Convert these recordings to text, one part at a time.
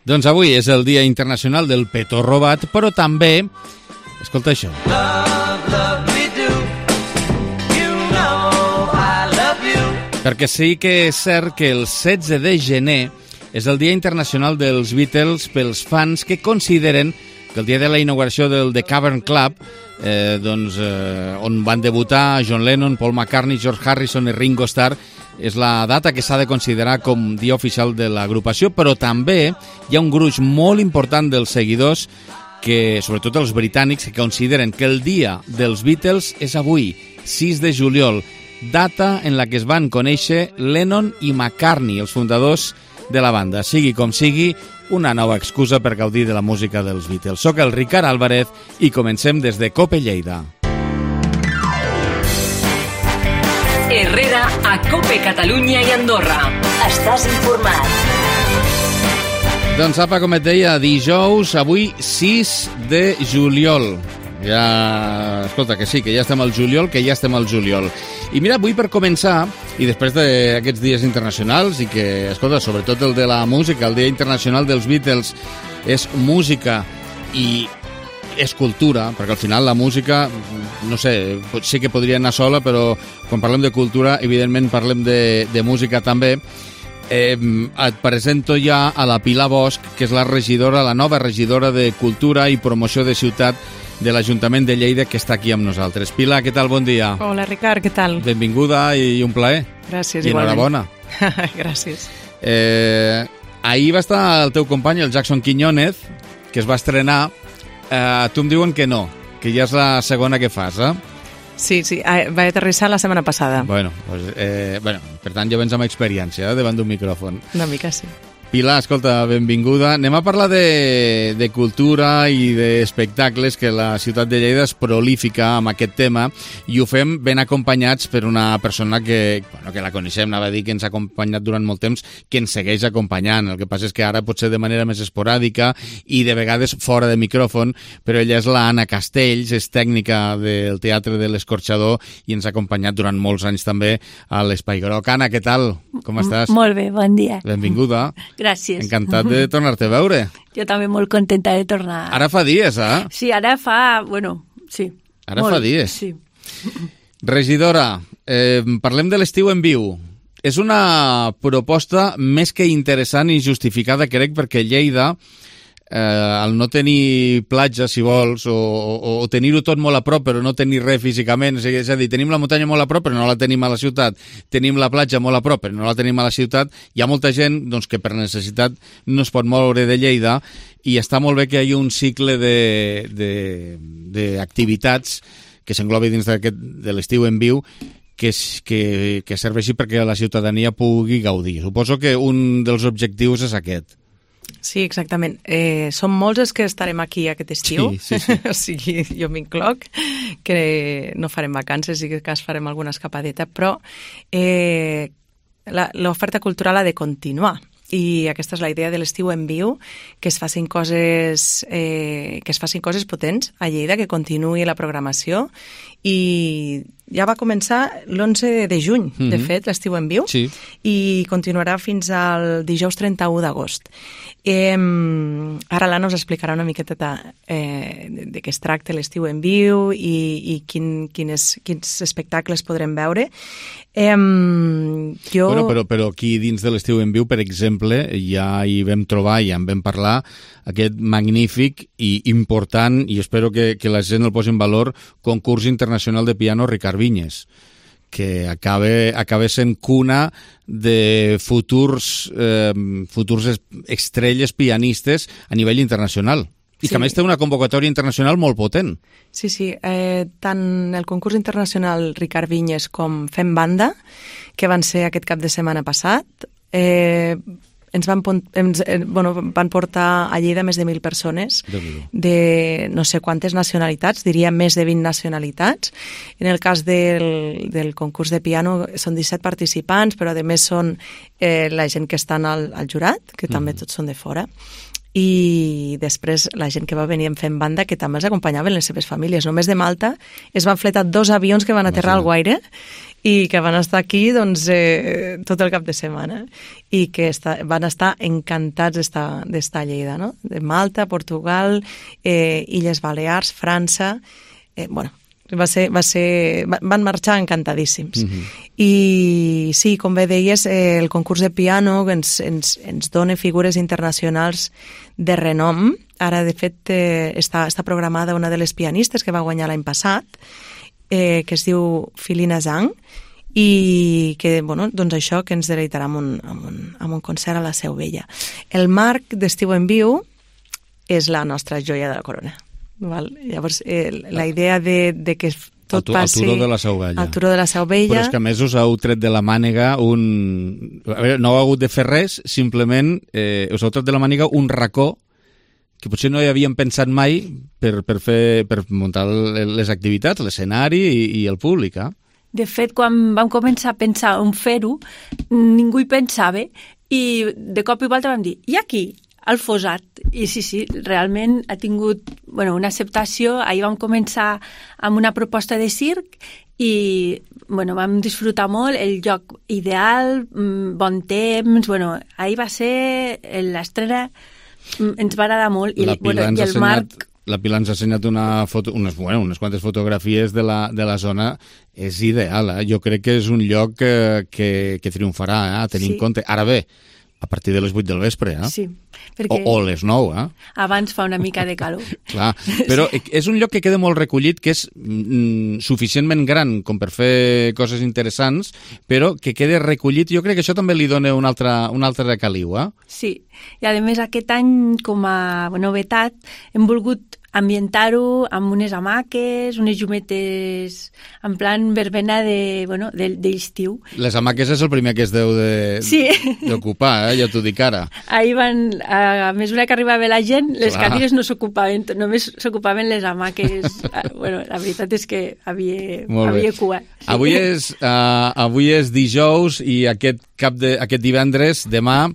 Doncs avui és el Dia Internacional del Petó Robat, però també, escolta això. Perquè sí que és cert que el 16 de gener és el Dia Internacional dels Beatles pels fans que consideren que el dia de la inauguració del The Cavern Club, on van debutar John Lennon, Paul McCartney, George Harrison i Ringo Starr, és la data que s'ha de considerar com dia oficial de l'agrupació, però també hi ha un gruix molt important dels seguidors, que, sobretot els britànics, que consideren que el dia dels Beatles és avui, 6 de juliol, data en la que es van conèixer Lennon i McCartney, els fundadors de la banda. Sigui com sigui, una nova excusa per gaudir de la música dels Beatles. Soc el Ricard Álvarez i comencem des de COPE Lleida. Herrera a COPE Catalunya i Andorra. Estàs informat. Doncs apa, com et deia, dijous, avui 6 de juliol. Ja, escolta, que sí, que ja estem al juliol, I mira, avui per començar, i després d'aquests dies internacionals, i que, escolta, sobretot el de la música, el Dia Internacional dels Beatles, és música i és cultura, perquè al final la música, no sé, sí que podria anar sola, però quan parlem de cultura, evidentment parlem de música també. Et presento ja a la Pilar Bosch, que és la nova regidora de Cultura i Promoció de Ciutat de l'Ajuntament de Lleida, que està aquí amb nosaltres. Pilar, què tal? Bon dia. Hola, Ricard, què tal? Benvinguda i un plaer. Gràcies, i igualment. I enhorabona. Gràcies. Ahir va estar el teu company, el Jackson Quiñónez, que es va estrenar. Tu em diuen que no, que ja és la segona que fas, eh? Sí, va aterrissar la setmana passada. Bueno, per tant ja vens amb experiència davant d'un micròfon. Una mica, sí. Pilar, escolta, benvinguda. Anem a parlar de cultura i d'espectacles, que la ciutat de Lleida és prolífica amb aquest tema, i ho fem ben acompanyats per una persona que la coneixem, anava a dir que ens ha acompanyat durant molt temps, que ens segueix acompanyant. El que passa és que ara potser de manera més esporàdica i de vegades fora de micròfon, però ella és la Anna Castells, és tècnica del Teatre de l'Escorxador i ens ha acompanyat durant molts anys també a l'Espai Groc. Anna, què tal? Com estàs? Molt bé, bon dia. Benvinguda. Gràcies. Encantat de tornar-te a veure. Jo també molt contenta de tornar. Ara fa dies, eh? Sí, ara fa... sí. Ara fa dies. Sí. Regidora, parlem de l'estiu en viu. És una proposta més que interessant i justificada, crec, perquè Lleida, al no tenir platja, si vols, o tenir-ho tot molt a prop però no tenir res físicament, és a dir, tenim la muntanya molt a prop però no la tenim a la ciutat, tenim la platja molt a prop però no la tenim a la ciutat, hi ha molta gent que per necessitat no es pot moure de Lleida, i està molt bé que hi hagi un cicle d'activitats que s'englobi dins de l'estiu en viu, que serveixi perquè la ciutadania pugui gaudir. Suposo que un dels objectius és aquest. Sí, exactament. Som molts els que estarem aquí aquest estiu. Sí. O sigui, jo m'incloc, que no farem vacances i que farem alguna escapadeta, però l'oferta cultural ha de continuar. I aquesta és la idea de l'estiu en viu, que es facin coses potents a Lleida, que continuï la programació, i ja va començar l'11 de juny, de fet, l'estiu en viu, sí. I continuarà fins al dijous 31 d'agost. Ara l'Anna us explicarà una miqueta de què es tracta l'estiu en viu i quins espectacles podrem veure. Però aquí dins de l'estiu en viu, per exemple, ja hi vam trobar, ja en vam parlar, aquest magnífic i important, i espero que la gent el posi en valor, concurs internacional de piano Ricard Vinyes, que acaba sent cuna de futurs estrelles pianistes a nivell internacional. I que a més té una convocatòria internacional molt potent. Sí, tant el concurs internacional Ricard Vinyes com Fem Banda, que van ser aquest cap de setmana passat, van portar a Lleida més de 1.000 persones de no sé quantes nacionalitats, diria més de 20 nacionalitats. En el cas del concurs de piano són 17 participants, però a més són la gent que estan al jurat, que també tots són de fora. i després la gent que va venir fent banda, que també els acompanyaven les seves famílies. Només de Malta es van fletar 2 avions que van aterrar al Guaire i que van estar aquí tot el cap de setmana i que van estar encantats d'estar a Lleida, no? De Malta, Portugal, Illes Balears, França... van marxar encantadíssims. I sí, com bé deies, el concurs de piano ens dona figures internacionals de renom. Ara, de fet, està programada una de les pianistes que va guanyar l'any passat, que es diu Filina Zhang, i que, doncs això, que ens deleitarà amb un concert a la Seu Vella. El Marc d'Estiu en Viu és la nostra joia de la corona. Val? Llavors, la idea de que tot passi... Al Turó de la Seu Vella. Al Turó de la Seu Vella. Però és que a més us heu tret de la màniga A veure, no heu hagut de fer res, simplement us heu tret de la màniga un racó que potser no hi havíem pensat mai per muntar les activitats, l'escenari i el públic, De fet, quan vam començar a pensar on fer-ho, ningú hi pensava i de cop i volta vam dir, i aquí? Al Fossat. I sí, realment ha tingut una acceptació. Ahir vam començar amb una proposta de circ i vam disfrutar molt, el lloc ideal, bon temps, ahir va ser l'estrena, ens va agradar molt. I el Marc... La Pilar ens ha ensenyat unes quantes fotografies de la zona. És ideal, Jo crec que és un lloc que triomfarà, a tenir en compte. Ara bé, a partir de les 8 del vespre, Sí, perquè... O les 9, Abans fa una mica de calor. Clar, però és un lloc que queda molt recollit, que és suficientment gran com per fer coses interessants, però que queda recollit. Jo crec que això també li dona un altre caliu, Sí, i a més aquest any, com a novetat, hem volgut ambientar-ho amb unes hamaques, unes llumetes en plan verbena d'estiu. Les hamaques és el primer que es deu d'ocupar, ja t'ho dic ara. Ahir a mesura que arribava la gent, les cadires no s'ocupaven, només s'ocupaven les hamaques. La veritat és que havia cua. Sí. Avui és dijous i aquest divendres, demà,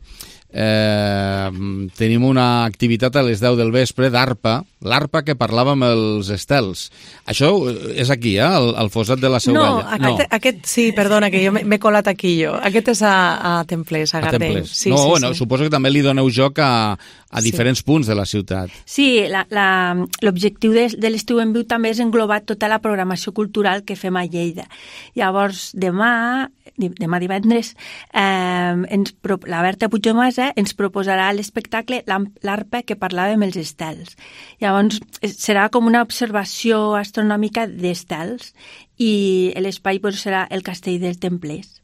tenim una activitat a les 10 del vespre d'arpa, l'ARPA que parlàvem els estels. Això és aquí, al Fossat de la Seu Vella. No, aquest sí, perdona, que jo m'he colat aquí jo. Aquest és a Templers, a Gardeny. Sí, suposo que també li doneu joc a diferents punts de la ciutat. Sí, l'objectiu de l'Estiu en Viu també és englobar tota la programació cultural que fem a Lleida. Llavors, demà divendres, la Berta Puigdemasa ens proposarà l'espectacle l'ARPA que parlàvem els estels. Llavors, serà com una observació astronòmica d'estels i l'espai serà el Castell dels Templers.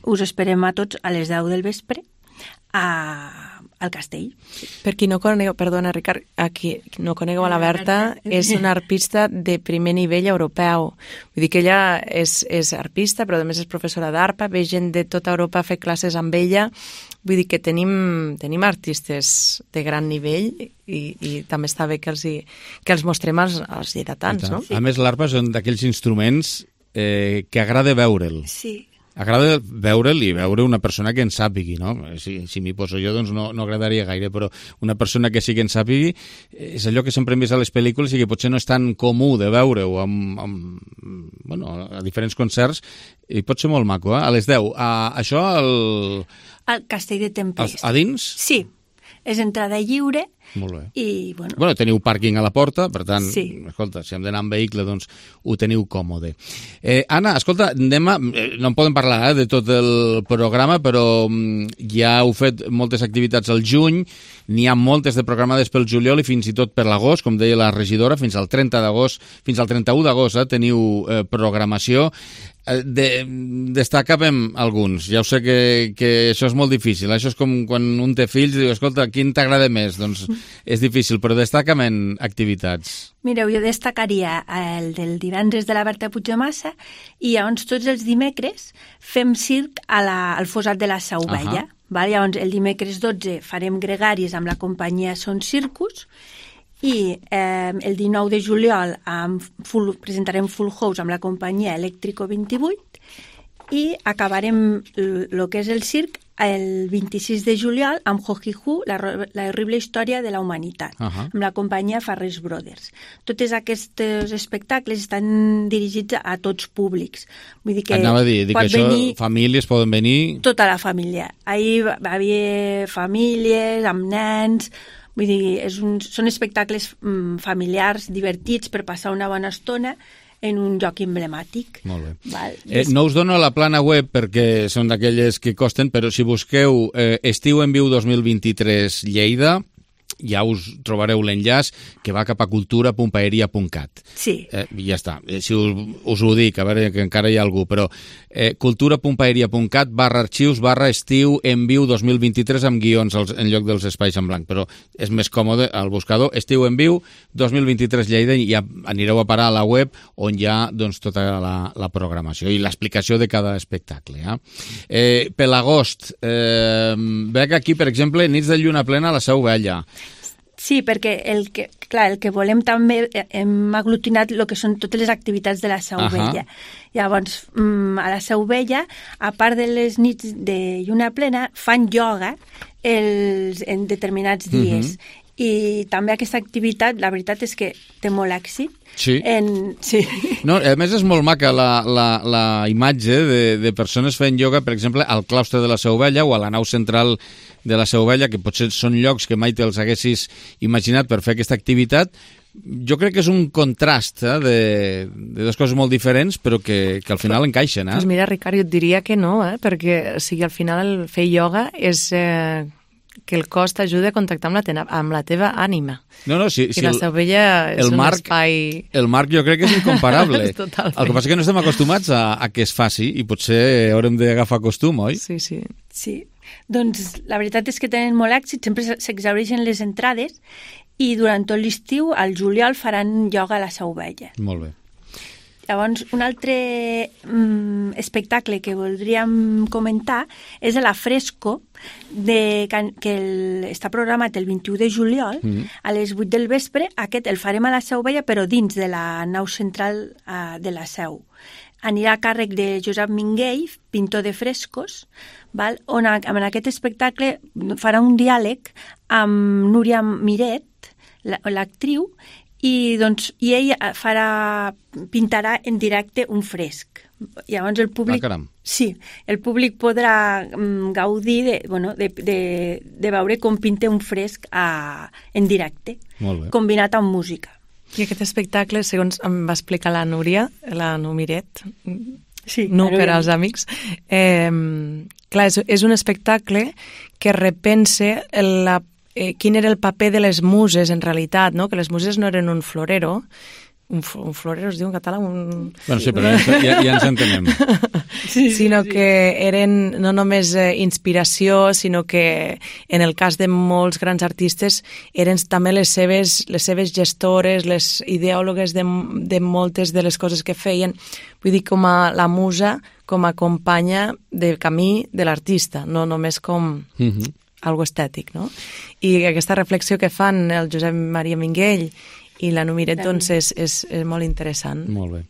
Us esperem a tots a les 10 del vespre al castell. Per qui no conegueu, perdona Ricard, no conegueu a la Berta, és una arpista de primer nivell europeu. Vull dir que ella és arpista, però a més és professora d'arpa, ve gent de tota Europa a fer classes amb ella. Vull dir que tenim artistes de gran nivell i també està bé que els mostrem als lleidatans, no? A més, l'arpa és un d'aquells instruments que agrada veure'l. Sí. Agrada veure'l i veure una persona que en sàpigui, no? Si m'hi poso jo, doncs no agradaria gaire, però una persona que sí que en sàpigui és allò que sempre hem vist a les pel·lícules i que potser no és tan comú de veure-ho a diferents concerts i pot ser molt maco, A les 10. Això al Castell de Templers. A dins? Sí. És entrada lliure. Molt bé. I, teniu pàrquing a la porta, per tant, escolta, si hem d'anar en vehicle, doncs ho teniu còmode. Anna, escolta, no en podem parlar de tot el programa, però ja heu fet moltes activitats al juny, n'hi ha moltes de programades pel juliol i fins i tot per l'agost, com deia la regidora, fins al 31 d'agost teniu programació. Destacàvem alguns. Ja ho sé que això és molt difícil. Això és com quan un té fills i diu, escolta, quin t'agrada més? Doncs és difícil, però destaca'm activitats. Mireu, jo destacaria el del divendres de la Berta Puigdemasa i llavors tots els dimecres fem circ al Fossat de la Seu Vella. Llavors el dimecres 12 farem gregaris amb la companyia Son Circus i el 19 de juliol presentarem Full House amb la companyia Eléctrico 28 i acabarem el que és el circ el 26 de juliol amb Ho-Hi-Hu, la horrible història de la humanitat, amb la companyia Farrés Brothers. Tots aquests espectacles estan dirigits a tots públics. Vull dir que anava a dir que això, famílies poden venir... Tota la família. Ahir va haver famílies amb nens... Vull dir, són espectacles familiars, divertits, per passar una bona estona en un lloc emblemàtic. Molt bé. No us dono la plana web perquè són d'aquelles que costen, però si busqueu Estiu en Viu 2023 Lleida, ja us trobareu l'enllaç que va cap a cultura.paeria.cat. Sí. I ja està. Si us ho dic, a veure, que encara hi ha algú, però cultura.paeria.cat/arxius/estiu en viu 2023 amb guions en lloc dels espais en blanc, però és més còmode al buscador Estiu en Viu 2023 Lleida i ja anireu a parar a la web on hi ha doncs, tota la programació i l'explicació de cada espectacle. Per l'agost, veig aquí, per exemple, Nits de Lluna Plena a la Seu Vella. Sí, perquè el que volem també, hem aglutinat el que són totes les activitats de la Seu Vella. Llavors, a la Seu Vella, a part de les nits de lluna plena, fan ioga en determinats dies. I també aquesta activitat, la veritat és que té molt èxit. Sí. Sí. No, a més, és molt maca la imatge de persones fent ioga, per exemple, al claustre de la Seu Vella o a la nau central de la Seu Vella, que potser són llocs que mai te'ls haguessis imaginat per fer aquesta activitat. Jo crec que és un contrast de dues coses molt diferents, però que al final encaixen. Doncs mira, Ricard, jo et diria que no, perquè al final el fer ioga és... que el cos t'ajuda a contactar amb la teva ànima. No, sí, I la Seu Vella és un espai... El marc jo crec que és incomparable. Totalment. El que passa és que no estem acostumats a que es faci i potser haurem d'agafar costum, oi? Sí. Doncs la veritat és que tenen molt èxit, sempre s'exhaureixen les entrades i durant tot l'estiu, al juliol, faran ioga a la Seu Vella. Molt bé. Llavors, un altre espectacle que voldríem comentar és la Fresco, que està programat el 21 de juliol a les 8 del vespre. Aquest el farem a la Seu Vella, però dins de la nau central de la Seu. Anirà a càrrec de Josep Minguell, pintor de frescos, on en aquest espectacle farà un diàleg amb Núria Miret, l'actriu, i ell pintarà en directe un fresc. Llavors el públic, el públic podrà gaudir de veure com pinta un fresc en directe, combinat amb música. I aquest espectacle, segons em va explicar la Núria, la Numiret, per als amics, clar, és un espectacle que repensa quin era el paper de les muses, en realitat, no? Que les muses no eren un florero, un florero es diu en català? Bueno, sí, però ja ens entenem. Sinó que eren no només inspiració, sinó que en el cas de molts grans artistes eren també les seves gestores, les ideòlogues de moltes de les coses que feien. Vull dir, com a la musa, com a companya de camí de l'artista, no només com... algo estètic, no? I aquesta reflexió que fan el Josep Maria Minguell i la Numiret, doncs, és molt interessant. Molt bé.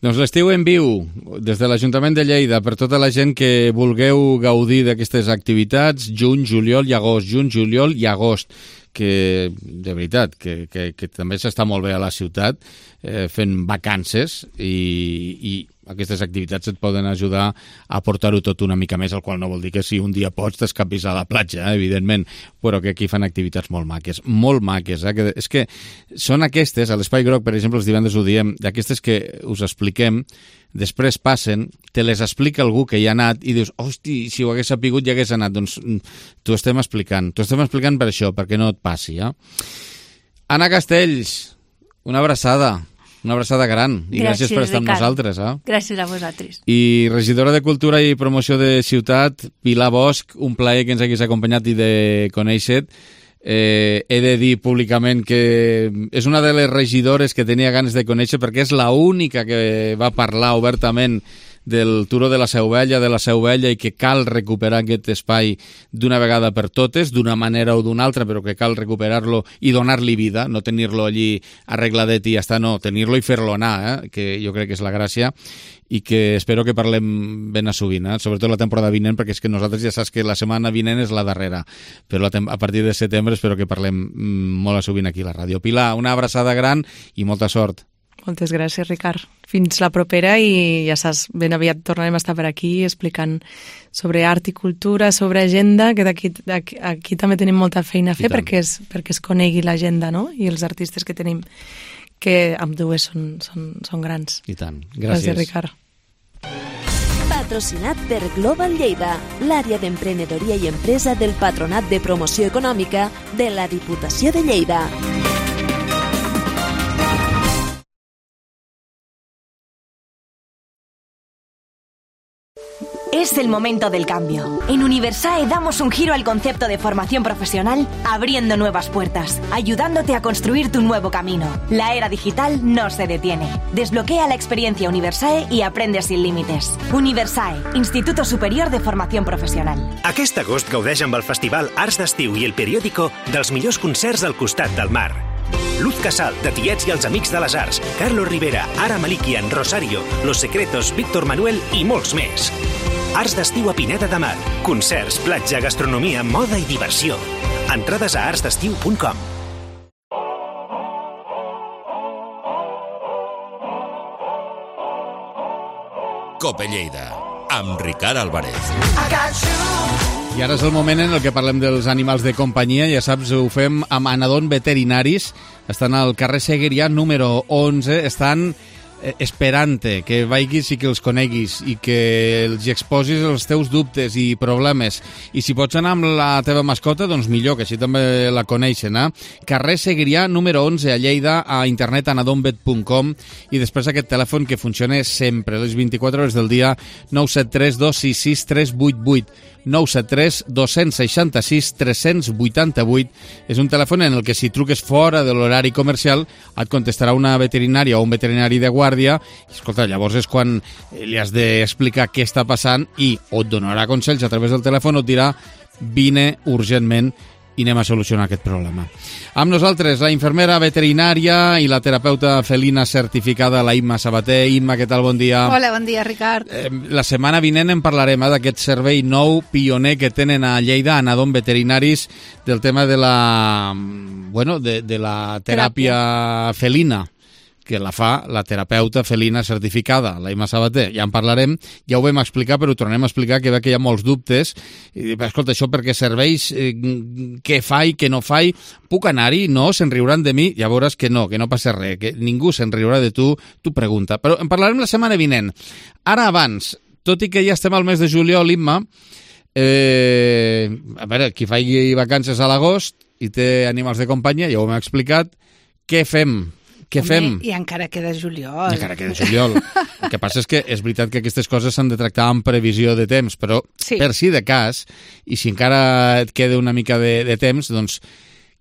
Doncs l'Estiu en Viu, des de l'Ajuntament de Lleida, per tota la gent que vulgueu gaudir d'aquestes activitats, juny, juliol i agost, que, de veritat, que també s'està molt bé a la ciutat, fent vacances i aquestes activitats et poden ajudar a portar-ho tot una mica més, el qual no vol dir que si un dia pots t'escapis a la platja, evidentment, però que aquí fan activitats molt maques. Que és que són aquestes, a l'Espai Groc, per exemple, els divendres ho diem, d'aquestes que us expliquem, després passen, te les explica algú que hi ha anat i dius, hosti, si ho hagués sapigut ja hagués anat. Doncs t'ho estem explicant per això, perquè no et passi. Anna Castells, una abraçada gran i gràcies per estar amb nosaltres. Gràcies a vosaltres. I regidora de Cultura i Promoció de Ciutat, Pilar Bosch, un plaer que ens haguis acompanyat i de conèixer-te. He de dir públicament que és una de les regidores que tenia ganes de conèixer perquè és l'única que va parlar obertament del turó de la Seu Vella i que cal recuperar aquest espai d'una vegada per totes, d'una manera o d'una altra, però que cal recuperar-lo i donar-li vida, no tenir-lo allí arregladet i ja està, no, tenir-lo i fer-lo anar, que jo crec que és la gràcia, i que espero que parlem ben a sovint, sobretot la temporada vinent, perquè és que nosaltres ja saps que la setmana vinent és la darrera, però a partir de setembre espero que parlem molt a sovint aquí a la ràdio. Pilar, una abraçada gran i molta sort. Moltes gràcies, Ricard. Fins la propera i ja saps, ben aviat tornarem a estar per aquí explicant sobre art i cultura, sobre agenda, que aquí també tenim molta feina a fer perquè es conegui l'agenda, no? I els artistes que tenim, que amb dues són grans. I tant. Gràcies. Gràcies, Ricard. Patrocinat per Global Lleida, l'àrea d'emprenedoria i empresa del Patronat de Promoció Econòmica de la Diputació de Lleida. Es el momento del cambio. En Universae damos un giro al concepto de formación profesional, abriendo nuevas puertas, ayudándote a construir tu nuevo camino. La era digital no se detiene. Desbloquea la experiencia Universae y aprende sin límites. Universae, Instituto Superior de Formación Professional. Aquest agost gaudeix amb el Festival Arts d'Estiu i el Periódico dels millors concerts al costat del mar. Luz Casal, de Tiets i els Amics de les Arts, Carlos Rivera, Ara Malikian, Rosario, Los Secretos, Víctor Manuel i molts més. Arts d'Estiu a Pineda de Mar. Concerts, platja, gastronomia, moda i diversió. Entrades a artsdestiu.com. Cope Lleida, amb Ricard Álvarez. I ara és el moment en el que parlem dels animals de companyia. Ja saps, ho fem amb Anadon Veterinaris. Estan al carrer Seguerià número 11. Estan esperant-te que vagis i que els coneguis i que els exposis els teus dubtes i problemes. I si pots anar amb la teva mascota, doncs millor, que així també la coneixen. Carrer Seguerià número 11 a Lleida, a internet anadonvet.com, i després aquest telèfon que funciona sempre, les 24 hores del dia, 973 266 388. 973 266 388. És un telèfon en el que si truques fora de l'horari comercial et contestarà una veterinària o un veterinari de guàrdia. Escolta, llavors és quan li has d'explicar què està passant i o et donarà consells a través del telèfon o et dirà vine urgentment i anem a solucionar aquest problema. Amb nosaltres, la infermera veterinària i la terapeuta felina certificada, la Imma Sabater. Imma, què tal? Bon dia. Hola, bon dia, Ricard. La setmana vinent en parlarem d'aquest servei nou, pioner, que tenen a Lleida, a Anadon Veterinaris, del tema de la, de la teràpia felina, que la fa la terapeuta felina certificada, la Imma Sabater. Ja en parlarem, ja ho vam explicar, però ho tornem a explicar, que ve que hi ha molts dubtes. I, escolta, això perquè serveix, què fa i què no fa, puc anar-hi? No, se'n riuran de mi? Ja veuràs que no passa res, que ningú se'n riurà de tu pregunta. Però en parlarem la setmana vinent. Ara abans, tot i que ja estem al mes de juliol, Imma, a veure, qui faci vacances a l'agost i té animals de companyia, ja ho hem explicat, què fem? Què fem? I encara queda juliol. Encara queda juliol. El que passa és que és veritat que aquestes coses s'han de tractar amb previsió de temps, però sí, per si de cas, i si encara et queda una mica de temps, doncs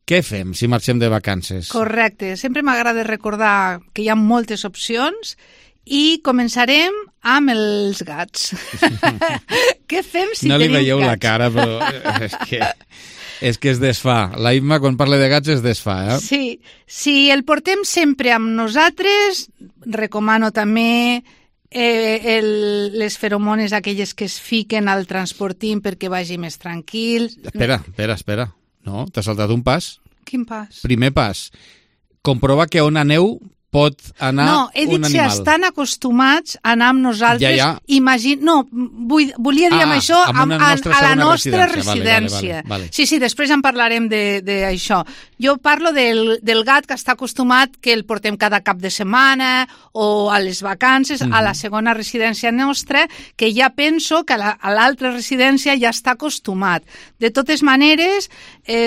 què fem si marxem de vacances? Correcte. Sempre m'agrada recordar que hi ha moltes opcions i començarem amb els gats. Què fem si tenim gats? No li veieu la cara, però és que es desfà. La Imma, quan parla de gats, es desfà, Sí, si el portem sempre amb nosaltres, recomano també les feromones aquelles que es fiquen al transportín perquè vagi més tranquil. Espera. No, t'has saltat un pas. Quin pas? Primer pas. Comprova que on aneu pot anar un animal. No, he dit si estan acostumats a anar amb nosaltres. Ja. Volia dir amb això a la nostra residència. Vale. Sí, després en parlarem d'això. Jo parlo del gat que està acostumat, que el portem cada cap de setmana o a les vacances, a la segona residència nostra, que ja penso que a l'altra residència ja està acostumat. De totes maneres,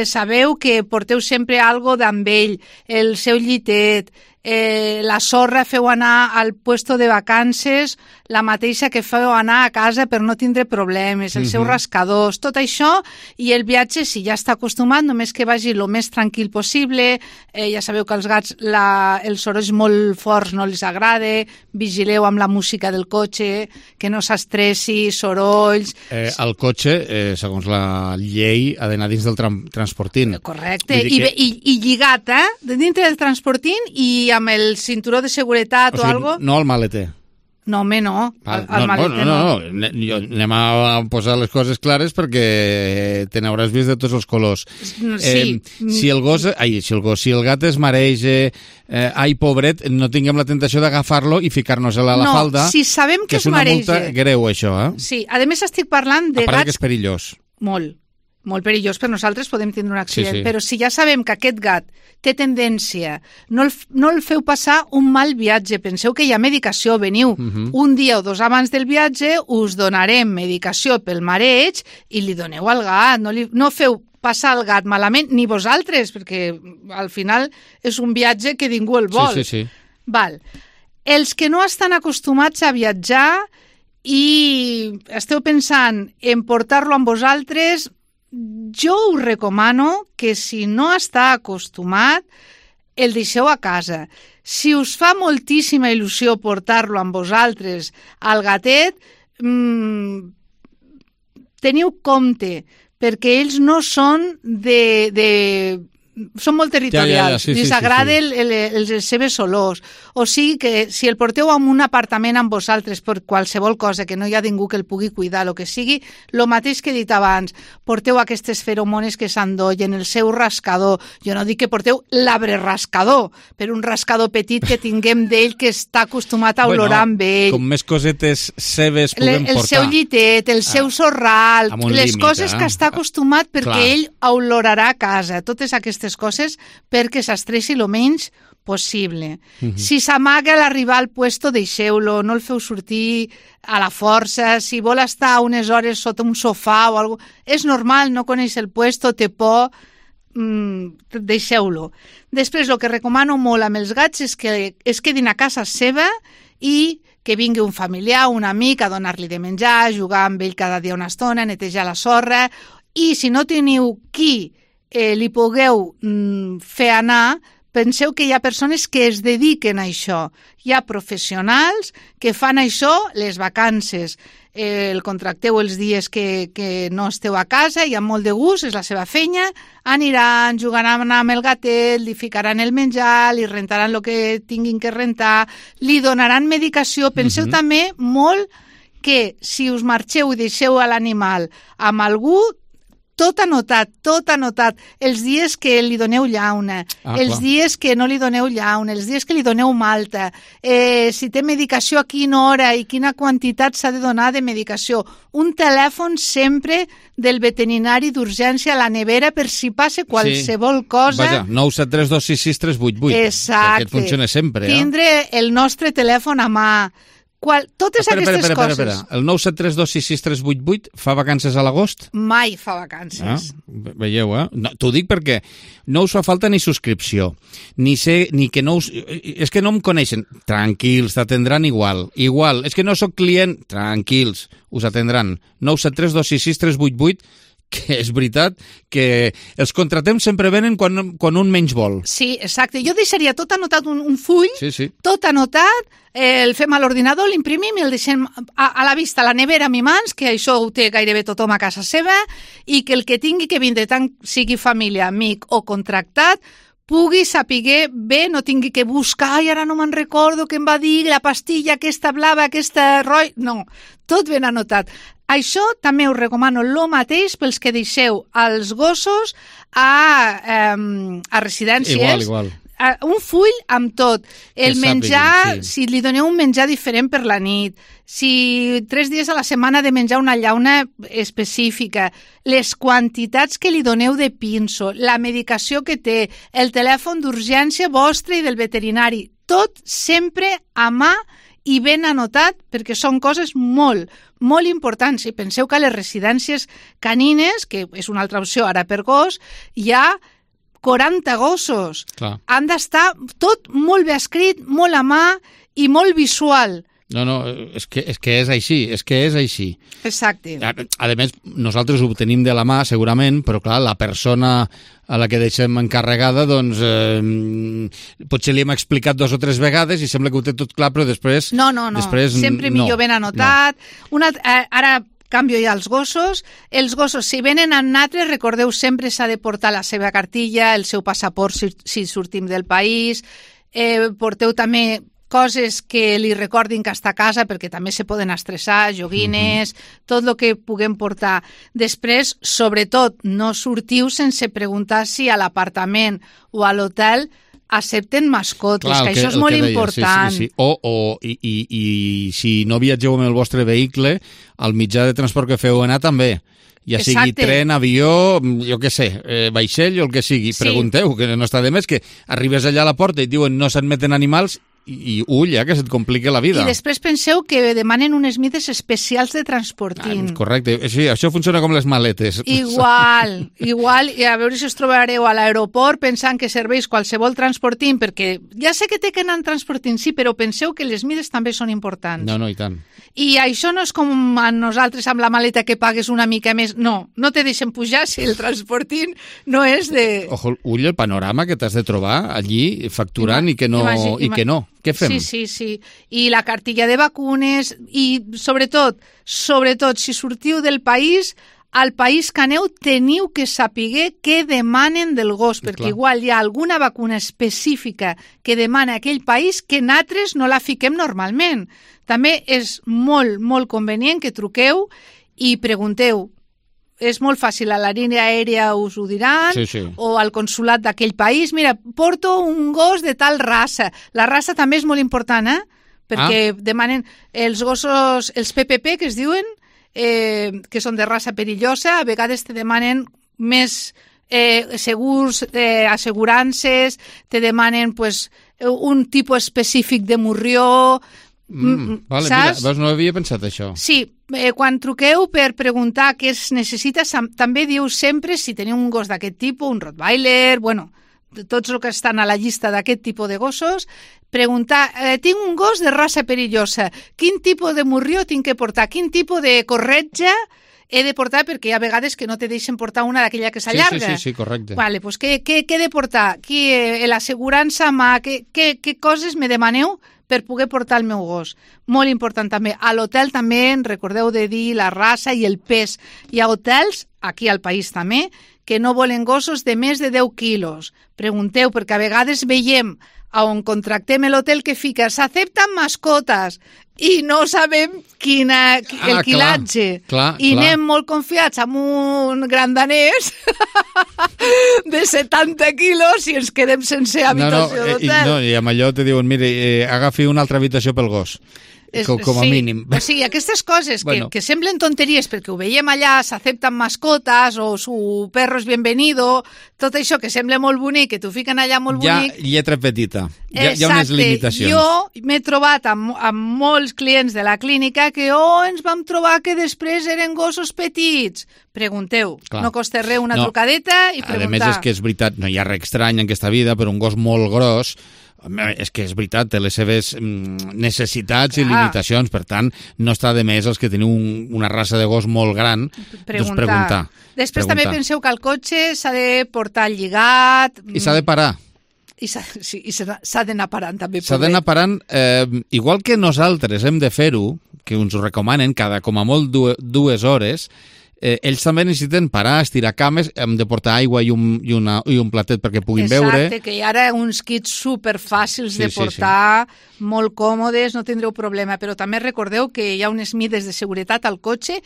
sabeu que porteu sempre algo d'amb ell, el seu llitet, la sorra feu anar al puesto de vacances la mateixa que feu anar a casa per no tindre problemes, els seus rascadors, tot això, i el viatge, si ja està acostumat, només que vagi el més tranquil possible. Ja sabeu que als gats els sorolls molt forts no els agrada, vigileu amb la música del cotxe, que no s'estressi, sorolls... El cotxe, segons la llei, ha d'anar dins del transportint. Correcte, i lligat, dintre del transportint i amb el cinturó de seguretat o algo. No al maleter. No, home, no. Al maleter no. Anem a posar les coses clares perquè te n'hauràs vist de tots els colors. Sí. Si el gat es mareja, ai, pobret, no tinguem la tentació d'agafar-lo i ficar-nos-la a la falda. Si sabem que es mareja. Que és una multa greu, això, Sí, a més estic parlant de gats... A part que és perillós. Molt perillós, per nosaltres podem tindre un accident, sí. Però si ja sabem que aquest gat té tendència, no el feu passar un mal viatge, penseu que hi ha medicació, veniu un dia o dos abans del viatge, us donarem medicació pel mareig i li doneu al gat, no feu passar el gat malament, ni vosaltres, perquè al final és un viatge que ningú el vol. Sí. Val. Els que no estan acostumats a viatjar i esteu pensant en portar-lo amb vosaltres, jo us recomano que si no està acostumat, el deixeu a casa. Si us fa moltíssima il·lusió portar-lo amb vosaltres al gatet, teniu compte, perquè ells no són són molt territorials, els agrada les seves olors. O sigui que si el porteu a un apartament amb vosaltres per qualsevol cosa, que no hi ha ningú que el pugui cuidar, el que sigui, el mateix que he dit abans, porteu aquestes feromones que s'endollen, el seu rascador. Jo no dic que porteu l'arbre rascador, però un rascador petit que tinguem d'ell que està acostumat a olorar amb ell. Com més cosetes seves puguem portar. El seu llitet, el seu sorral, les coses que està acostumat perquè ell olorarà a casa. Totes aquestes coses perquè s'estressi el menys possible. Si s'amaga a l'arribar al puesto, deixeu-lo, no el feu sortir a la força. Si vol estar unes hores sota un sofà o alguna cosa, és normal, no coneix el puesto, té por, deixeu-lo. Després, el que recomano molt amb els gats és que es quedin a casa seva i que vingui un familiar, un amic a donar-li de menjar, jugar amb ell cada dia una estona, netejar la sorra, i si no teniu qui li pugueu fer anar, penseu que hi ha persones que es dediquen a això. Hi ha professionals que fan això les vacances. El contracteu els dies que no esteu a casa i amb molt de gust, és la seva feina, aniran, jugaran amb el gatet, li ficaran el menjar, li rentaran el que tinguin que rentar, li donaran medicació. Penseu també molt que si us marxeu i deixeu a l'animal amb algú, tot anotat, els dies que li doneu llauna, els dies que no li doneu llauna, els dies que li doneu malta, si té medicació a quina hora i quina quantitat s'ha de donar de medicació. Un telèfon sempre del veterinari d'urgència a la nevera per si passa qualsevol cosa. Vaja, 973266388. Exacte. Aquest funciona sempre. Tindre el nostre telèfon a mà. Totes aquestes coses. Espera. El 973266388 fa vacances a l'agost? Mai fa vacances. Veieu, No, t'ho dic perquè no us fa falta ni subscripció, ni que no us... És que no em coneixen. Tranquils, t'atendran igual. És que no sóc client. Tranquils, us atendran. 973266388, que és veritat que els contratem sempre venen quan un menys vol. Sí, exacte. Jo deixaria tot anotat, un full, tot anotat, el fem a l'ordinador, l'imprimim i el deixem a la vista, a la nevera, a mi mans, que això ho té gairebé tothom a casa seva, i que el que tingui que vindre, tant sigui família, amic o contractat, pugui saber bé, no tingui que buscar, i ara no me'n recordo què em va dir, la pastilla aquesta blava, aquesta roja... No, tot ben anotat. Això també us recomano el mateix pels que deixeu els gossos a residències. Igual. Un full amb tot. El menjar, si li doneu un menjar diferent per la nit, si 3 dies a la setmana de menjar una llauna específica, les quantitats que li doneu de pinso, la medicació que té, el telèfon d'urgència vostre i del veterinari, tot sempre a mà i ben anotat, perquè són coses molt importants. I penseu que a les residències canines, que és una altra opció ara per gos, hi ha 40 gossos. Clar. Han d'estar tot molt bé escrit, molt a mà i molt visual. No, és que és així, Exacte. A més, nosaltres ho tenim de la mà, segurament, però clar, la persona a la que deixem encarregada, doncs, potser li hem explicat 2 o 3 vegades i sembla que ho té tot clar, però després... No, sempre millor ben anotat. Ara canvio ja els gossos. Els gossos, si venen amb natres, recordeu, sempre s'ha de portar la seva cartilla, el seu passaport si sortim del país. Porteu també coses que li recordin que està a casa, perquè també se poden estressar, joguines, tot el que puguem portar. Després, sobretot, no sortiu sense preguntar si a l'apartament o a l'hotel accepten mascotes, que això és molt important. Sí. I si no viatgeu amb el vostre vehicle, el mitjà de transport que feu anar també. Ja sigui tren, avió, jo què sé, vaixell o el que sigui. Pregunteu, que no està de més, que arribes allà a la porta i et diuen no s'admeten animals i ull, que se't complica la vida. I després penseu que demanen unes mides especials de transportint. Correcte, sí, això funciona com les maletes. Igual, i a veure si us trobareu a l'aeroport pensant que serveix qualsevol transportint, perquè ja sé que té que anar en transportint, sí, però penseu que les mides també són importants. No, i tant. I això no és com a nosaltres amb la maleta que pagues una mica més. No te deixen pujar si el transporting no és de... Ojo, ull, el panorama que t'has de trobar allí facturant i que no. Què fem? Sí. I la cartilla de vacunes i sobretot, si sortiu del país, al país que aneu teniu que saber què demanen del gos, perquè igual hi ha alguna vacuna específica que demana aquell país que nosaltres no la fiquem normalment. També és molt, molt convenient que truqueu i pregunteu. És molt fàcil, a la línia aèria us ho diran, o al consulat d'aquell país. Mira, porto un gos de tal raça. La raça també és molt important, perquè demanen els gossos, els PPP, que es diuen, que són de raça perillosa, a vegades te demanen més segurs, assegurances, te demanen un tipus específic de morrió. Vale, mira, no havia pensat això. Sí, quan truqueu per preguntar què es necessita, també diu sempre si teniu un gos d'aquest tipus, un Rottweiler, tots els que estan a la llista d'aquest tipus de gossos, preguntar, tinc un gos de raça perillosa, quin tipus de morrió tinc que portar, quin tipus de corretja he de portar, perquè hi ha vegades que no te deixen portar una d'aquella que s'allarga. Sí, correcte. Vale, pues què he de portar? L'assegurança mà, què coses me demaneu per poder portar el meu gos. Molt important també. A l'hotel també recordeu de dir la raça i el pes. Hi ha hotels, aquí al país també, que no volen gossos de més de 10 quilos. Pregunteu, perquè a vegades veiem on contractem l'hotel que fica s'accepten mascotes i no sabem el quilatge. I anem molt confiats amb un gran danès de 70 quilos i ens quedem sense habitació d'hotel. I amb allò te diuen, mire, agafi una altra habitació pel gos. Com a mínim. O sigui, aquestes coses que semblen tonteries perquè ho veiem allà, s'accepten mascotes o su perro es bienvenido, tot això que sembla molt bonic, que t'ho fiquen allà molt bonic. Ja lletra petita, hi ha unes limitacions. Jo m'he trobat amb molts clients de la clínica que ens vam trobar que després eren gossos petits. Pregunteu, no costa res una trucadeta i preguntar. A més, és que és veritat, no hi ha res estrany en aquesta vida, però un gos molt gros és que és veritat, té les seves necessitats i limitacions, per tant, no està de més els que teniu una raça de gos molt gran, doncs preguntar. Després també penseu que el cotxe s'ha de portar lligat. I s'ha de parar. I s'ha d'anar parant també. S'ha d'anar parant, igual que nosaltres hem de fer-ho, que ens ho recomanen cada com a molt 2 hores, ells també necessiten parar, estirar cames, hem de portar aigua i un platet perquè puguin beure. Exacte, que hi ha ara uns kits superfàcils de portar, molt còmodes, no tindreu problema, però també recordeu que hi ha unes mides de seguretat al cotxe,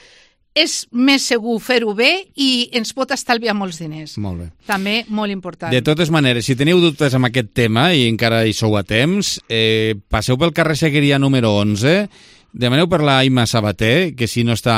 és més segur fer-ho bé i ens pot estalviar molts diners. Molt bé. També molt important. De totes maneres, si teniu dubtes amb aquest tema i encara hi sou a temps, passeu pel carrer Seguiria número 11, demaneu per la Imma Sabater, que si no està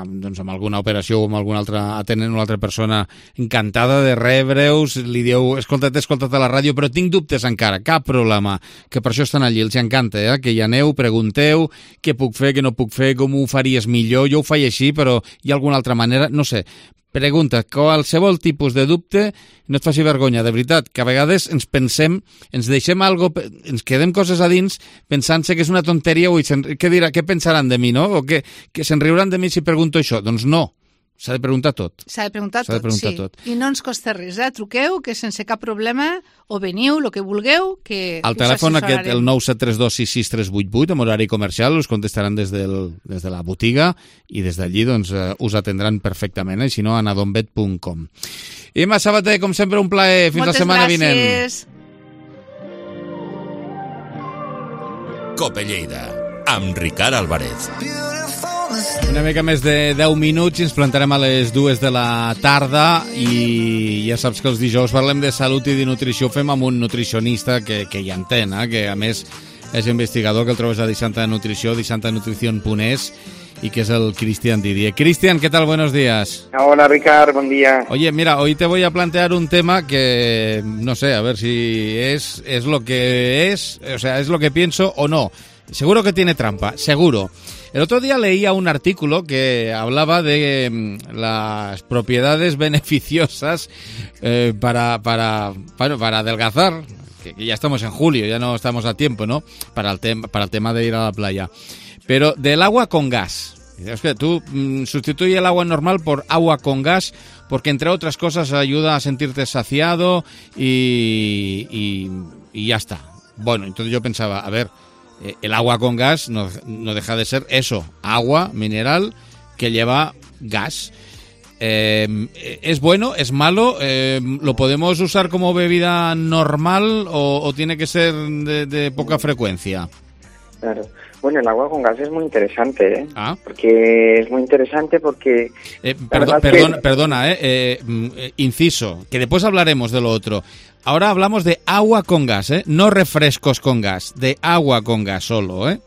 amb alguna operació o amb alguna altra atenent una altra persona, encantada de rebre-us, li dieu, escolta't a la ràdio, però tinc dubtes encara, cap problema, que per això estan allí, els encanta, que hi aneu, pregunteu, què puc fer, què no puc fer, com ho faries millor, jo ho faig així, però hi ha alguna altra manera, no sé, pregunta, qualsevol tipus de dubte, no et faci vergonya, de veritat, que a vegades ens deixem ens quedem coses a dins pensant-se que és una tonteria, què pensaran de mi, no? O que se'n riuran de mi si pregunto això. Doncs no. S'ha de preguntar tot. S'ha de preguntar tot. I no ens costa res, truqueu, que sense cap problema, o veniu, el que vulgueu, que al telèfon aquest, el 973266388, amb horari comercial, us contestaran des de la botiga i des d'allí doncs, us atendran perfectament, si no, a anadombet.com. Imma Sabater, com sempre, un plaer. Fins la setmana vinent. Moltes gràcies. Cope Lleida, amb Ricard Álvarez. Una mica més de 10 minuts i ens plantarem a les 2 de la tarda i ja saps que els dijous parlem de salut i de nutrició, fem amb un nutricionista que hi entén, que a més és investigador, que el trobes a Disanta Nutrició, disantanutricion.es, y que es el Cristian Didier. Cristian, ¿qué tal? Buenos días. Hola, Ricard, buen día. Oye, mira, hoy te voy a plantear un tema que, no sé, a ver si es lo que es, o sea, es lo que pienso o no. Seguro que tiene trampa, seguro. El otro día leía un artículo que hablaba de las propiedades beneficiosas para adelgazar, que ya estamos en julio, ya no estamos a tiempo, ¿no? Para el tema de ir a la playa. Pero del agua con gas. Es que tú sustituye el agua normal por agua con gas porque, entre otras cosas, ayuda a sentirte saciado y ya está. Bueno, entonces yo pensaba, a ver, el agua con gas no deja de ser eso, agua mineral que lleva gas. ¿Es bueno? ¿Es malo? ¿Lo podemos usar como bebida normal o tiene que ser de poca frecuencia? Claro. Bueno, el agua con gas es muy interesante, ¿eh? Porque es muy interesante porque... Perdona, inciso, que después hablaremos de lo otro. Ahora hablamos de agua con gas, no refrescos con gas, de agua con gas solo, ¿eh?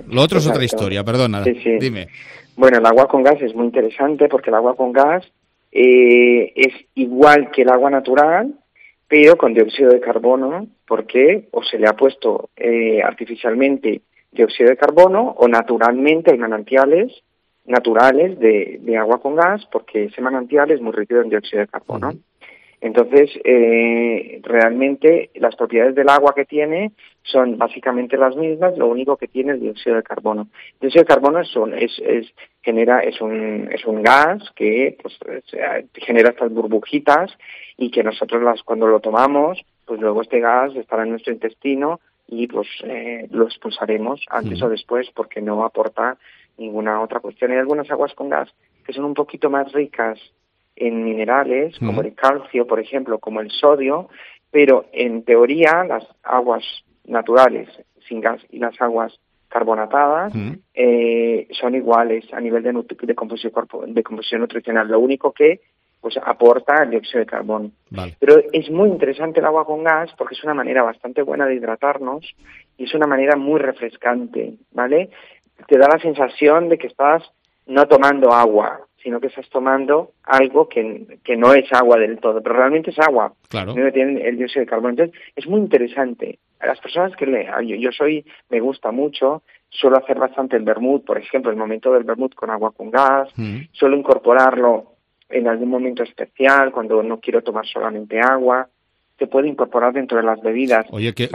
Lo otro es otra historia, perdona, sí. Dime. Bueno, el agua con gas es muy interesante porque el agua con gas es igual que el agua natural, pero con dióxido de carbono, porque o se le ha puesto artificialmente dióxido de carbono o naturalmente hay manantiales naturales de agua con gas, porque ese manantial es muy rico en dióxido de carbono. Entonces, realmente las propiedades del agua que tiene son básicamente las mismas, lo único que tiene es dióxido de carbono. El dióxido de carbono es un gas que pues, genera estas burbujitas y que nosotros cuando lo tomamos, pues luego este gas estará en nuestro intestino y pues lo expulsaremos antes o después porque no aporta ninguna otra cuestión. Hay algunas aguas con gas que son un poquito más ricas en minerales, como el calcio, por ejemplo, como el sodio, pero en teoría las aguas naturales sin gas y las aguas carbonatadas son iguales a nivel de composición nutricional. Lo único que pues aporta el dióxido de carbono. Vale. Pero es muy interesante el agua con gas porque es una manera bastante buena de hidratarnos y es una manera muy refrescante, ¿vale? Te da la sensación de que estás no tomando agua, sino que estás tomando algo que no es agua del todo, pero realmente es agua. Claro. No tiene el dióxido de carbono. Entonces, es muy interesante. A las personas que me gusta mucho, suelo hacer bastante el vermut, por ejemplo, el momento del vermut con agua con gas, suelo incorporarlo en algún momento especial, cuando no quiero tomar solamente agua, se puede incorporar dentro de las bebidas. Oye, que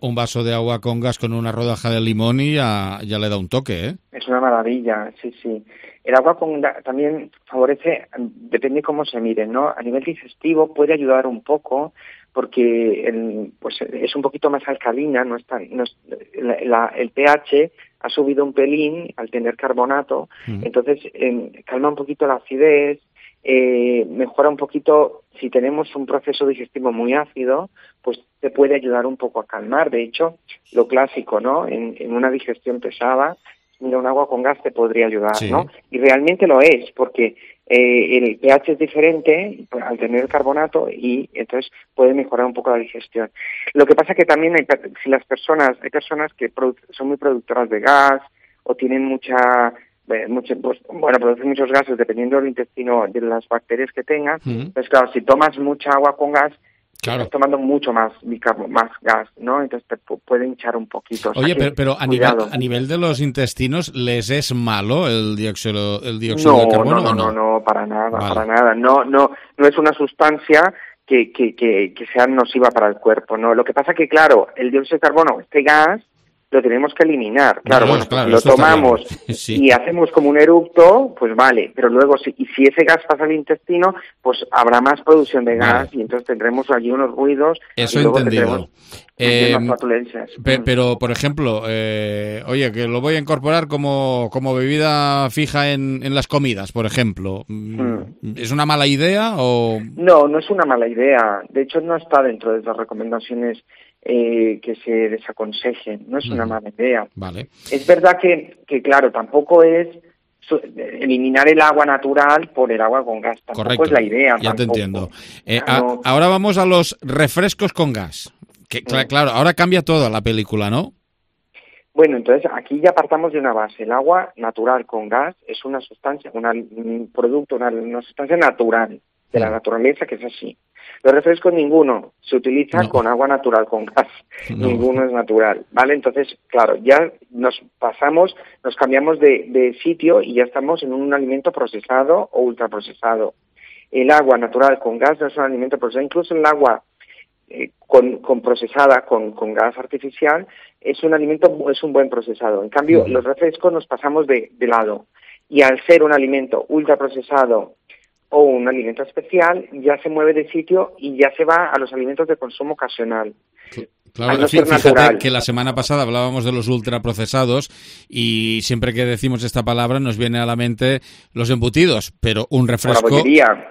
un vaso de agua con gas con una rodaja de limón y ya le da un toque, ¿eh? Es una maravilla, sí. El agua con gas también favorece, depende cómo se mire, ¿no? A nivel digestivo puede ayudar un poco, porque pues es un poquito más alcalina, el pH ha subido un pelín al tener carbonato, entonces calma un poquito la acidez, mejora un poquito, si tenemos un proceso digestivo muy ácido, pues te puede ayudar un poco a calmar. De hecho, lo clásico, ¿no? En una digestión pesada, mira, un agua con gas te podría ayudar, sí, ¿no? Y realmente lo es, porque el pH es diferente al tener el carbonato y entonces puede mejorar un poco la digestión. Lo que pasa que también hay personas que son muy productoras de gas o tienen producen muchos gases dependiendo del intestino, de las bacterias que tengan. Entonces, claro, si tomas mucha agua con gas, Claro. Estás tomando mucho más gas, ¿no? Entonces te puede hinchar un poquito. Oye, pero a nivel de los intestinos, ¿les es malo el dióxido de carbono? No, para nada, vale. Para nada. No es una sustancia que sea nociva para el cuerpo, ¿no? Lo que pasa que, claro, el dióxido de carbono, este gas, lo tenemos que eliminar. Claro, lo tomamos y hacemos como un eructo, pues vale, pero luego si ese gas pasa al intestino, pues habrá más producción de gas y entonces tendremos allí unos ruidos. Eso y luego entendido. Más flatulencias. Pero, por ejemplo, oye, que lo voy a incorporar como bebida fija en las comidas, por ejemplo. ¿Es una mala idea o...? No es una mala idea. De hecho, no está dentro de las recomendaciones que se desaconsejen. No es una mala idea. Vale. Es verdad que claro, tampoco es eliminar el agua natural por el agua con gas. Tampoco Correcto. Es la idea. Ya tampoco. te entiendo. Ahora vamos a los refrescos con gas. Que, claro, ahora cambia toda la película, ¿no? Bueno, entonces aquí ya partamos de una base. El agua natural con gas es una sustancia, un producto, una sustancia natural de la naturaleza, que es así. Los refrescos ninguno se utiliza con agua natural con gas. Ninguno es natural, ¿vale? Entonces, claro, ya nos cambiamos de sitio y ya estamos en un alimento procesado o ultraprocesado. El agua natural con gas no es un alimento procesado. Incluso el agua con procesada con gas artificial es un buen procesado. En cambio, los refrescos nos pasamos de lado, y al ser un alimento ultraprocesado o un alimento especial, ya se mueve de sitio y ya se va a los alimentos de consumo ocasional. Claro, fíjate que la semana pasada hablábamos de los ultraprocesados y siempre que decimos esta palabra nos viene a la mente los embutidos, pero un refresco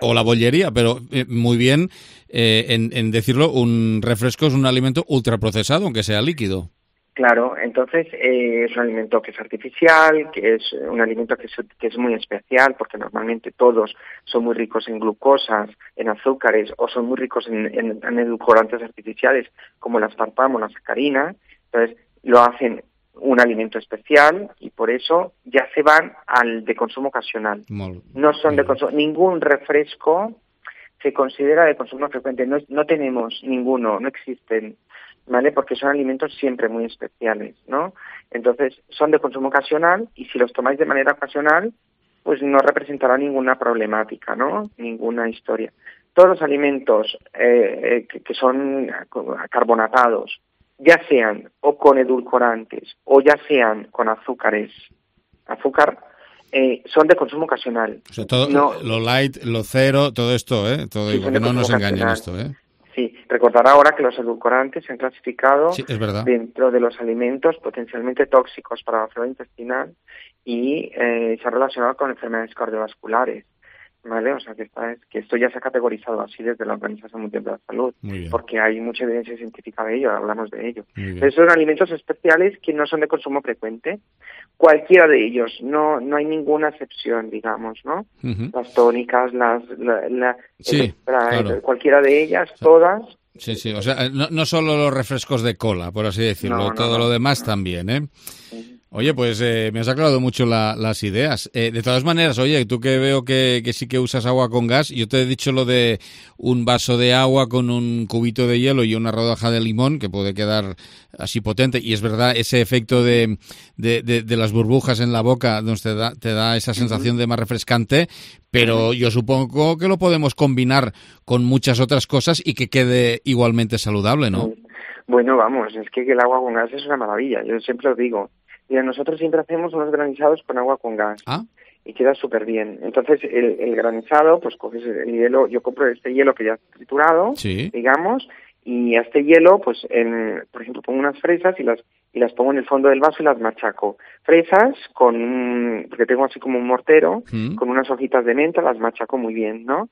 o la bollería, pero muy bien en decirlo, un refresco es un alimento ultraprocesado, aunque sea líquido. Claro, entonces es un alimento que es artificial, que es un alimento que es muy especial, porque normalmente todos son muy ricos en glucosas, en azúcares, o son muy ricos en edulcorantes artificiales, como el aspartamo o la sacarina. Entonces lo hacen un alimento especial y por eso ya se van al de consumo ocasional. No son de consumo. Ningún refresco se considera de consumo frecuente. No tenemos ninguno, no existen. ¿Vale? Porque son alimentos siempre muy especiales, ¿no? Entonces, son de consumo ocasional y si los tomáis de manera ocasional, pues no representará ninguna problemática, ¿no? Ninguna historia. Todos los alimentos que son carbonatados, ya sean o con edulcorantes o ya sean con azúcar, son de consumo ocasional. O sea, todo lo light, lo cero, todo esto, todo sí, que no nos engañen esto, Sí, recordar ahora que los edulcorantes se han clasificado dentro de los alimentos potencialmente tóxicos para la flora intestinal y se ha relacionado con enfermedades cardiovasculares, ¿vale? O sea, que esto ya se ha categorizado así desde la Organización Mundial de la Salud, porque hay mucha evidencia científica de ello, hablamos de ello. Pero son alimentos especiales que no son de consumo frecuente, cualquiera de ellos, no hay ninguna excepción, digamos, ¿no? Las tónicas, cualquiera de ellas, todas. Sí, o sea, no solo los refrescos de cola, por así decirlo, todo lo demás también, ¿eh? Oye, pues me has aclarado mucho las ideas. De todas maneras, oye, tú que veo que sí que usas agua con gas, yo te he dicho lo de un vaso de agua con un cubito de hielo y una rodaja de limón, que puede quedar así potente, y es verdad, ese efecto de las burbujas en la boca te da esa sensación de más refrescante, pero yo supongo que lo podemos combinar con muchas otras cosas y que quede igualmente saludable, ¿no? Bueno, vamos, es que el agua con gas es una maravilla, yo siempre os digo. Mira, nosotros siempre hacemos unos granizados con agua con gas y queda súper bien. Entonces, el granizado, pues coges el hielo, yo compro este hielo que ya está triturado, digamos, y a este hielo, pues, por ejemplo, pongo unas fresas y las pongo en el fondo del vaso y las machaco. Fresas porque tengo así como un mortero, con unas hojitas de menta, las machaco muy bien, ¿no?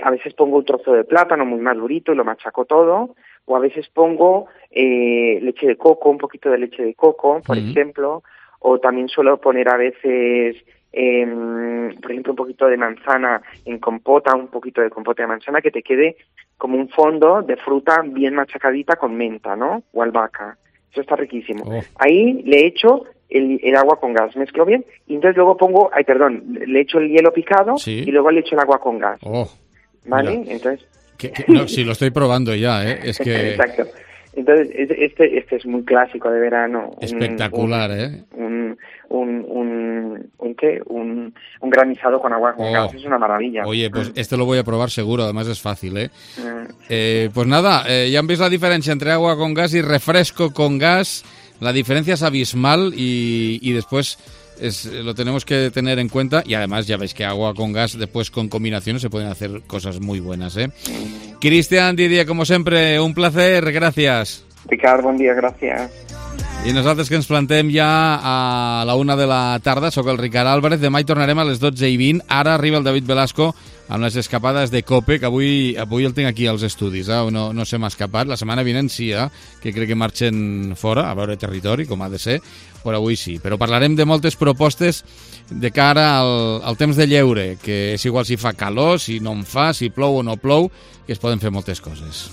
A veces pongo un trozo de plátano muy madurito y lo machaco todo, o a veces pongo leche de coco, un poquito de leche de coco, por ejemplo, o también suelo poner a veces, por ejemplo, un poquito de manzana en compota, un poquito de compota de manzana, que te quede como un fondo de fruta bien machacadita con menta, ¿no? O albahaca. Eso está riquísimo. Ahí le echo el agua con gas, mezclo bien, y entonces luego le echo el hielo picado y luego le echo el agua con gas. ¿Vale? Mira. Entonces No, sí, lo estoy probando ya, ¿eh? Es que... Exacto. Entonces, este es muy clásico de verano. Espectacular, ¿eh? Un granizado con agua con gas, es una maravilla. Oye, pues este lo voy a probar seguro, además es fácil, ¿eh? Pues nada, ya han visto la diferencia entre agua con gas y refresco con gas. La diferencia es abismal y después lo tenemos que tener en cuenta, y además ya veis que agua con gas después con combinaciones se pueden hacer cosas muy buenas, ¿eh? Cristian, Didier, como sempre, un placer, gràcies. Ricard, bon dia, gràcies. I nosaltres que ens plantem ja a la 1 de la tarda, sóc el Ricard Álvarez, demà hi tornarem a les 12:20, ara arriba el David Velasco amb les escapades de COPE, que avui el tinc aquí als estudis, no se m'ha escapat, la setmana vinent sí, que crec que marxen fora, a veure territori, com ha de ser, però avui sí. Però parlarem de moltes propostes de cara al temps de lleure, que és igual si fa calor, si no en fa, si plou o no plou, que es poden fer moltes coses.